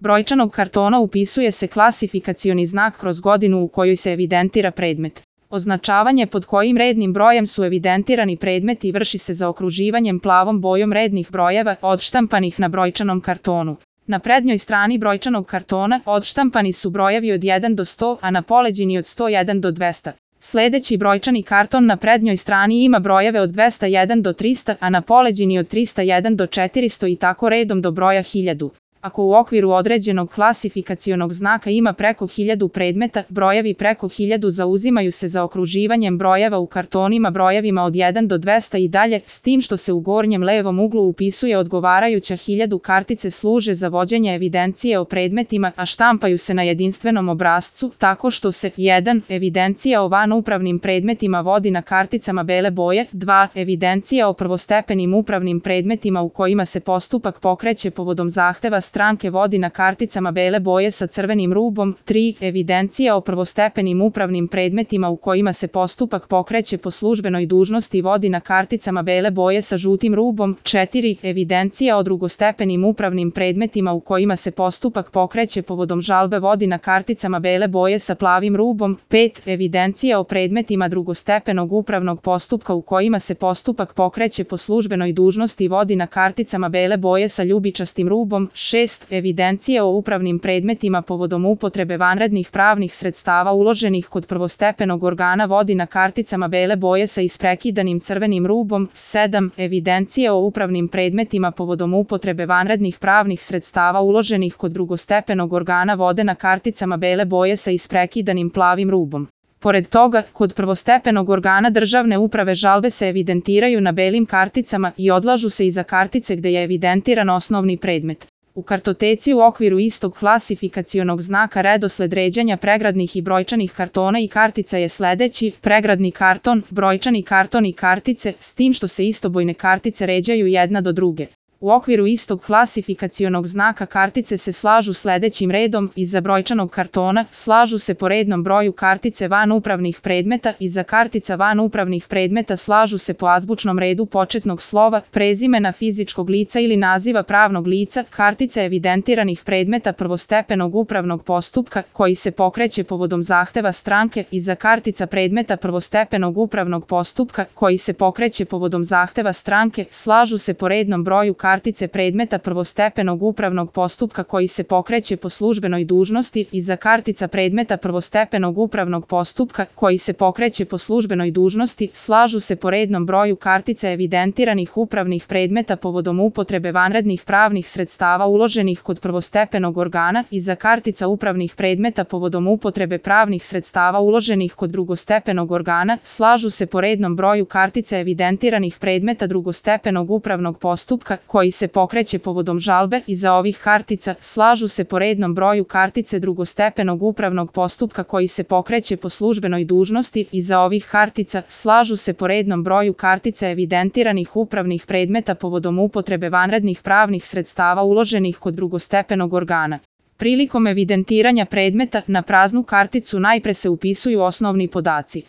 brojčanog kartona upisuje se klasifikacioni znak kroz godinu u kojoj se evidentira predmet. Označavanje pod kojim rednim brojem su evidentirani predmeti vrši se zaokruživanjem plavom bojom rednih brojeva odštampanih na brojčanom kartonu. Na prednjoj strani brojčanog kartona odštampani su brojevi od 1 do 100, a na poleđini od 101 do 200. Sljedeći brojčani karton na prednjoj strani ima brojeve od 201 do 300, a na poleđini od 301 do 400 i tako redom do broja 1000. Ako u okviru određenog klasifikacionog znaka ima preko 1000 predmeta, brojevi preko 1000 zauzimaju se zaokruživanjem brojeva u kartonima brojevima od 1 do 200 i dalje, s tim što se u gornjem levom uglu upisuje odgovarajuća 1000. Kartice služe za vođenje evidencije o predmetima, a štampaju se na jedinstvenom obrascu, tako što se 1. Evidencija o vanupravnim predmetima vodi na karticama bele boje, 2. Evidencija o prvostepenim upravnim predmetima u kojima se postupak pokreće povodom zahteva stranke vodi na karticama bele boje sa crvenim rubom, 3. Evidencija o prvostepenim upravnim predmetima u kojima se postupak pokreće po službenoj dužnosti vodi na karticama bele boje sa žutim rubom, 4. Evidencija o drugostepenim upravnim predmetima u kojima se postupak pokreće povodom žalbe vodi na karticama bele boje sa plavim rubom, 5. Evidencija o predmetima drugostepenog upravnog postupka u kojima se postupak pokreće po službenoj dužnosti vodi na karticama bele boje sa ljubičastim rubom, 6. Evidencija o upravnim predmetima povodom upotrebe vanrednih pravnih sredstava uloženih kod prvostepenog organa vodi na karticama bele boje sa isprekidanim crvenim rubom, 7. Evidencija o upravnim predmetima povodom upotrebe vanrednih pravnih sredstava uloženih kod drugostepenog organa vode na karticama bele boje sa isprekidanim plavim rubom. Pored toga, kod prvostepenog organa državne uprave žalbe se evidentiraju na belim karticama i odlažu se iza kartice gde je evidentiran osnovni predmet. U kartoteci u okviru istog klasifikacionog znaka redosled ređanja pregradnih i brojčanih kartona i kartica je sledeći: pregradni karton, brojčani karton i kartice, s tim što se istobojne kartice ređaju jedna do druge. U okviru istog klasifikacionog znaka kartice se slažu sledećim redom: iza brojčanog kartona slažu se po rednom broju kartice vanupravnih predmeta, iza kartica vanupravnih predmeta slažu se po azbučnom redu početnog slova, prezimena fizičkog lica ili naziva pravnog lica, kartice evidentiranih predmeta prvostepenog upravnog postupka koji se pokreće povodom zahteva stranke, iza kartica predmeta prvostepenog upravnog postupka koji se pokreće povodom zahteva stranke slažu se po rednom broju kartice predmeta prvostepenog upravnog postupka koji se pokreće po službenoj dužnosti, iza kartica predmeta prvostepenog upravnog postupka koji se pokreće po službenoj dužnosti slažu se po rednom broju kartice evidentiranih upravnih predmeta povodom upotrebe vanrednih pravnih sredstava uloženih kod prvostepenog organa, iza kartica upravnih predmeta povodom upotrebe pravnih sredstava uloženih kod drugostepenog organa slažu se po rednom broju kartice evidentiranih predmeta drugostepenog upravnog postupka koji se pokreće povodom žalbe, iza ovih kartica slažu se po rednom broju kartice drugostepenog upravnog postupka koji se pokreće po službenoj dužnosti, iza ovih kartica slažu se po rednom broju kartice evidentiranih upravnih predmeta povodom upotrebe vanrednih pravnih sredstava uloženih kod drugostepenog organa. Prilikom evidentiranja predmeta na praznu karticu najpre se upisuju osnovni podaci.